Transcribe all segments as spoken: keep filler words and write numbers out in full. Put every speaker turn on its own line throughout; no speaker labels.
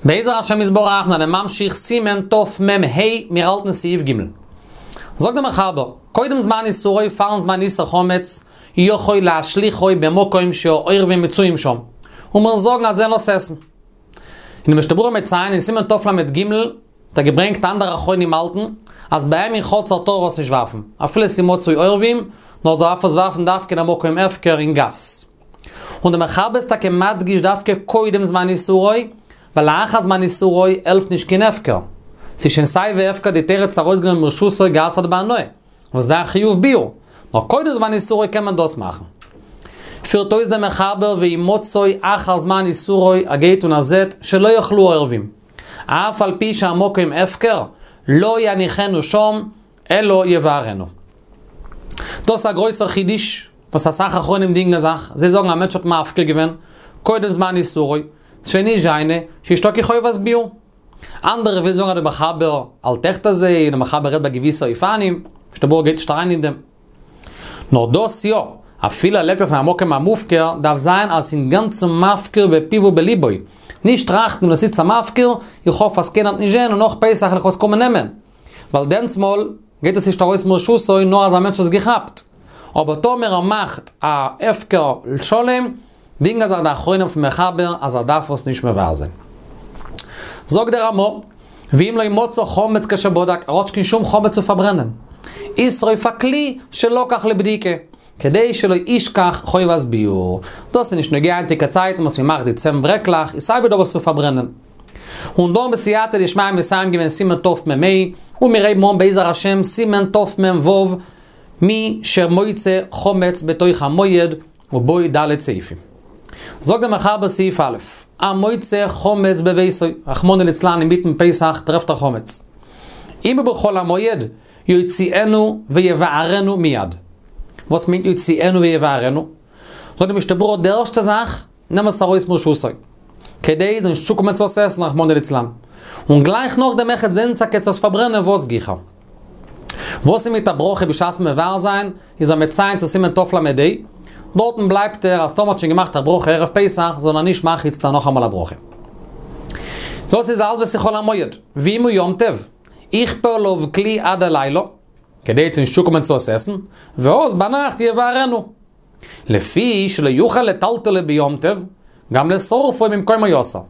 בעזר השם יתברך זענען ממשיך סימן תמ"ה, מיר האלטן סעיף ג'. זאגט דער מחבר, קודם זמן איסורו פארן זמן איסור חמץ, יכול להשליכו במקום שהעורבים מצויים שם. און מיר זאגן אז זיי וועלן עס עסן. אין משנה ברורה מציין אין סימן תל"ג האט ער געברענגט אנדערע אחרונים האלטן אז ביי אים אין חצר טאר ער עס נישט ווארפן, אפילו ס'איז מצוי עורבים, נאר דארף עס ווארפן דווקא אין א מקום הפקר אין גאס. און דער מחבר איז טאקע מדגיש דווקא קודם זמן איסורו, ווייל לאחר זמן איסורו העלפט נישט קיין הפקר. ס'איז שוין סיי ווי הפקר די תורה האט עס ארויסגענומען מרשותו גע'אסר'ט בהנאה. און ס'דא א חיוב ביעור. נאר קודם זמן איסורו קען מען דאס מאכן. פירט אויס דער מחבר ואם מצאו אחר זמן איסורו ער גייט און ער זעט שלא יאכלוהו העורבים. אף על פי שהמקום הפקר, לא יניחנו שם אלא יבערנו. דאס איז א גרויסער חידוש וואס אסאך אחרונים דינגען זיך, זיי זאגן א מענטש האט מפקיר געווען קודם זמן איסורו, ס'שוין נישט זיינע, ס'נישטא קיין חובת ביעור. אנדערע ווילן זאגן אז דער מחבר האלט עכט אזוי, און דער מחבר רעדט ביי געוויסע אופנים, משנה ברורה גייט נישט אריין אין דעם. נאר דאס יא, אפילו ער לייגט עס אין א מקום המופקר, דארף זיין אז ס'איז אינגאנצן מפקיר בפיו ובליבו, נישט טראכטן וואס איז א מפקיר, איך האף אז קיינער וועט נישט זען און נאך פסח וועל איך עס קומען נעמען. ווייל דענסמאל גייט עס נישט ארויס מרשותו נאר אז א מענטש האט עס געכאפט. אבער טאמער ער מאכט א הפקר שלם, דינגען זיך די אחרונים אויפן מחבר אז ער דארף עס נישט מבער זיין. זאגט דער רמא, ואם לא מצא חמץ כשבדק, ער האט נישט קיין שום חמץ צו פארברענען. ישרוף הכלי שלקח לבדיקה, כדי שלא ישכח חובת ביעור. דאס איז נישט נוגע היינטיגע צייטן וואס מען מאכט די צען ברעקלעך, איז סייווי דא וואס צו פארברענען. און דא בסייעתא דשמיא מסיים געווען סימן תמ"ה, און מיר הייבן אן בעזר השם סימן תמ"ו, מי שמוצא חמץ בתוך המועד ובו ד' סעיפים. זאגט דער מחבר סעיף א', המוצא חמץ בביתו, רחמנא ליצלן אינמיטן פסח טרעפט ער חמץ. אם הוא בחול המועד, יוציאנו ויבערנו מיד. וואס מיינט יוציאנו ויבערנו? זאגט די משנה ברורה די ערשטע זאך, נעם עס ארויס מרשותו. כדי נישט צוקומען צו עס עסן רחמנא ליצלן. און גלייך נאכדעם אויכעט זען טאקע צו עס פארברענען וואס גיכער. וואס איז מיט א ברכה בשעת מבער זיין, איז ער מציין צו סימן תל"ה, דארטן בלייבט ער אז טאמער האט שוין געמאכט א ברכה ערב פסח זאל ער נישט מאכן איצטער נאכאמאל א ברכה. דאס איז אלץ ווען ס'איז חול המועד, ואם הוא יום טוב, יכפה עליו כלי עד הלילה, כדי צו נישט צוקומען צו עס עסן, ואז ביינאכט יבערנו. לפי שלא יוכל לטלטלו ביום טוב, גם לשורפו ממקומו אסור.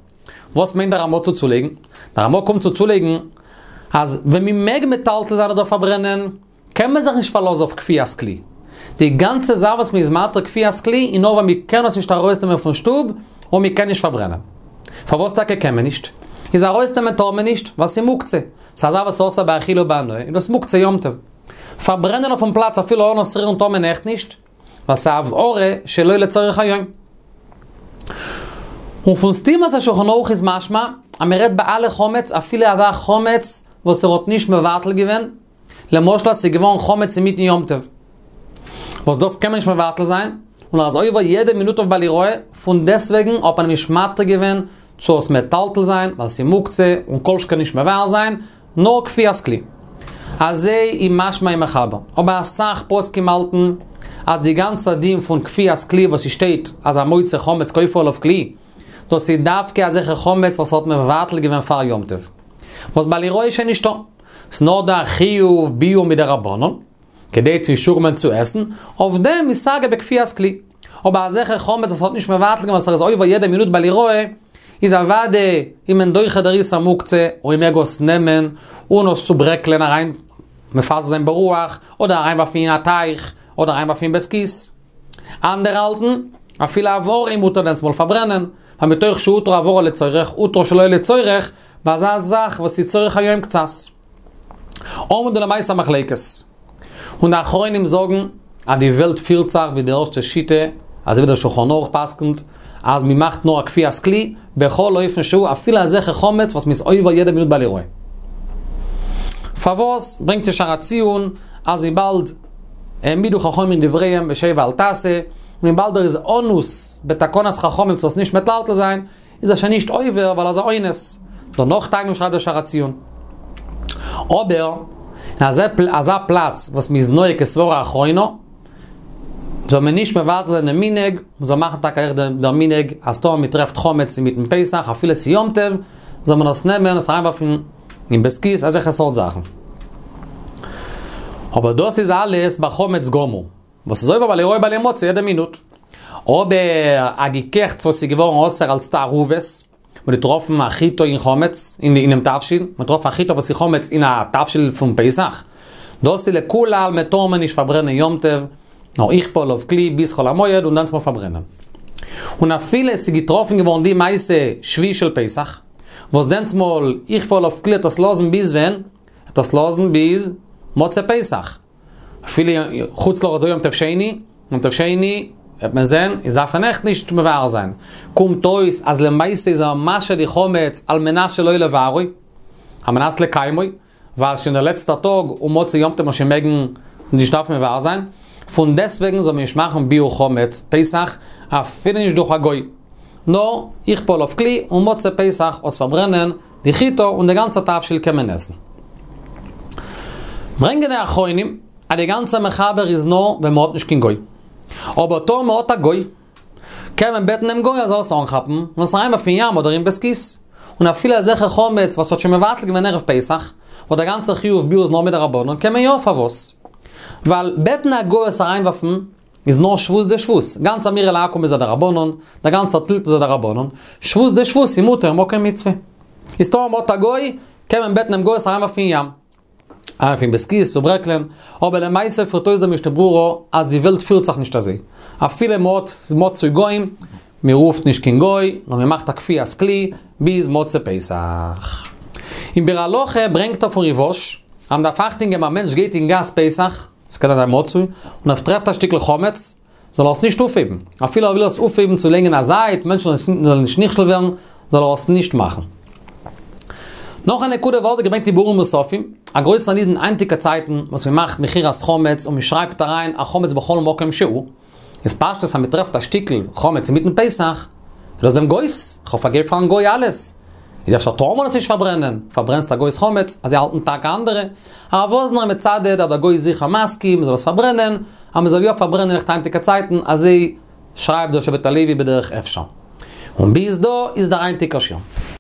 וואס מיינט דער רמא צו צולייגן? דער רמא קומט צו צולייגן אז ווען מען מעג מטלטל זיין אדער פארברענען, קען מען זיך נישט פארלאזן אויף כפיית כלי. די גאנצע זאך וואס מען איז מתיר כפיית כלי איז נאר ווען מען קען עס נישט ארויסנעמען פון שטוב און מען קען נישט פארברענען. פארוואס טאקע קען מען נישט? איז ארויסנעמען טאר מען נישט, ווייל ס'איז מוקצה. ס'איז א זאך וואס איז אסור באכילה ובהנאה, איז דאס מוקצה יום טוב. פארברענען אויפן פלאץ אפילו אן עס רירן טאר מען עכט נישט, ווייל ס'איז הבערה שלא לצורך היום. און פון סתימת השולחן ערוך איז משמע אז מען רעדט ביי אלע חמץ אפילו אזא חמץ וואס ער האט נישט מבטל געווען, למשל אז ס'איז געווארן חמץ אינמיטן יום טוב, וואס דאס קען מען נישט מבטל זיין, און ער איז עובר יעדע מינוט אויף בל יראה, פון דעסוועגן האט מען אים נישט מתיר געווען צו עס מטלטל זיין, ווייל ס'איז מוקצה און כל שכן נישט מבער זיין, נאר כפיית כלי. אזוי איז משמע אין מחבר. אבער אסאך פוסקים האלטן אז די גאנצע דין פון כפיית כלי וואס ס'שטייט אז המוצא חמץ כופה עליו כלי, דאס איז דווקא אזעלכע חמץ וואס האט מבטל געווען פאר יום טוב. וואס בל יראה איז שוין נישטא. ס'נאר דא א חיוב ביעור מדרבנן, כדי צו נישט צוקומען צו עסן, אויף דעם איז סגי בכפיית כלי. אבער אזעלכע חמץ וואס האט נישט מבטל געווען וואס ער איז עובר יעדע מינוט בל יראה, איז אוודאי איז מען דוחה דער איסור מוקצה און מען מעג עס נעמען און עס צוברעקלען אריין מפזר זיין ברוח, אדער אריינווארפן אין א טייך, אדער אריינווארפן אין בית כיס. אנדערע האלטן, אפילו הבערה איז מותר דענסמאל פארברענען, ווייל מתוך שהותרה הבערה לצורך, הותרה שלא לצורך, ביי אזא זאך וואס איז צורך היום קצת. האבן דא למעשה א מחלוקת. און די אחרונים זאגן אז די וועלט פירט זיך ווי די ערשטע שיטה, אזוי ווי דער שולחן ערוך פסק'נט, אז מען מאכט נאר א כפיית כלי, בכל אופן שהוא, אפילו אזעלכע חמץ וואס מען איז עובר יעדע מינוט בל יראה. פארוואס ברענגט דער שער הציון אז וויבאלד העמידו חכמים דבריהם בשב ואל תעשה, און וויבאלד ער איז אנוס בתקנת חכמים צו עס נישט מטלטל זיין, איז ער שוין נישט עובר ווייל ער איז א אונס. דא נאך טעמים שרייבט דער שער הציון. אבער אין אזא פלאץ וואס מ'איז נוהג כסברה אחרונה, זאל מען נישט מבטל זיין דעם מנהג, מ'זאל מאכן טאקע אויך דער מנהג אז טאמער מ'טרעפט חמץ אינמיטן פסח אפילו ס'איז יום טוב, זאל מען עס נעמען, עס אריינווארפן אין בית הכסא, אזעלכע סארט זאכן. אבער דאס איז אלעס ביי חמץ גמור. וואס איז עובר בל יראה בל ימצא יעדע מינוט. אבער א געקעכטס וואס איז געווארן אסור אלס תערובת, מ'האט געטראפן א חיטה אין חמץ, אינעם תבשיל, מ'האט געטראפן א חיטה וואס איז חמץ אין א תבשיל פון פסח, דאס איז לכולי עלמא טאר מען נישט פארברענען יום טוב, נאר יכפה עליו כלי ביז חול המועד און דענסמאל פארברענען. און אפילו עס איז געטראפן געווארן די מעשה שביעי של פסח, וואס דענסמאל יכפה עליו כלי עט עס לאזן ביז ווען? עט עס לאזן ביז מוצאי פסח. אפילו חוץ לארץ דא יום טוב שני, יום טוב שני וועט מען זען איז דארף מען עכט נישט מבער זיין. קומט אויס אז למעשה איז ער משהה די חמץ על מנת שלא לבערו, על מנת לקיימו, ווייל שוין דער לעצטער טאג און מוצאי יום טוב שוין מעגן נישט דארפן מבער זיין, פון דעסטוועגן זאל מען נישט מאכן ביעור חמץ פסח אפילו נישט דורך א גוי, נאר יכפה עליו כלי און מוצאי פסח עס פארברענען די חיטה און די גאנצע תבשיל קען מען עסן. ברענגען די אחרונים אז די גאנצע מחבר איז נאר ווען מ'האט נישט קיין גוי. אבער טאמער מ'האט א גוי, קען מען בעטן דעם גוי ער זאל עס אנכאפן און עס אריינווארפן אין ים אדער אין בית הכסא. און אפילו אזעלכע חמץ וואס האט שוין מבטל געווען ערב פסח, וואס דער גאנצער חיוב ביעור איז נאר מדרבנן, קען מען יא, פארוואס? ווייל בעטן א גוי עס אריינווארפן איז נאר שבות דשבות, גאנץ אמירה לעכו"ם איז א דרבנן, דער גאנצער טלטול איז א דרבנן, שבות דשבות איז מותר מקום מצוה. איז טאמער מ'האט א גוי, קען מען בעטן דעם גוי עס אריינווארפן אין ים. אריינווארפן אין בית הכסא, צוברעקלען, אבער למעשה פירט אויס דער משנה ברורה אז די וועלט פירט זיך נישט אזוי. אפילו מ'האט מצוי גוים, מ'רופט נישט קיין גוי, נאר מ'מאכט א כפיית כלי ביז מוצאי פסח. אין ביאור הלכה ברענגט ער פון ריב"ש, אז מ'דארף אכטונג געבן א מענטש גייט אין גאס פסח, ס'קען זיין מצוי, און ער טרעפט א שטיקל חמץ, זאל ער עס נישט אויפהייבן. אפילו ער וויל עס אויפהייבן צו לייגן אין א זייט, מענטשן זאלן נישט נכשל ווערן, זאל ער עס נישט מאכן. נאך א נקודה ווערט געברענגט אין ביאורים נוספים, א גרויסער נידון היינטיגע צייטן וואס מען מאכט מכירת חמץ און מען שרייבט אריין א חמץ בכל מקום שהוא, איז פשטות אז מען טרעפט א שטיקל חמץ אינמיטן פסח, איז דאס דעם גוי'ס, כ'האב פארגעבן פארן גוי אלעס, איז אפשר טאר מען עס נישט פארברענען, פארברענסט א גוי'ס חמץ, אזוי האלטן טאקע אנדערע, הרב וואזנער איז מצדד אז דער גוי איז זיכער מסכים מען זאל עס פארברענען, אז מען זאל יא פארברענען אויך היינטיגע צייטן, אזוי שרייבט דער שבט הלוי בדרך אפשר. און ביז דא איז דער היינטיגער שיעור.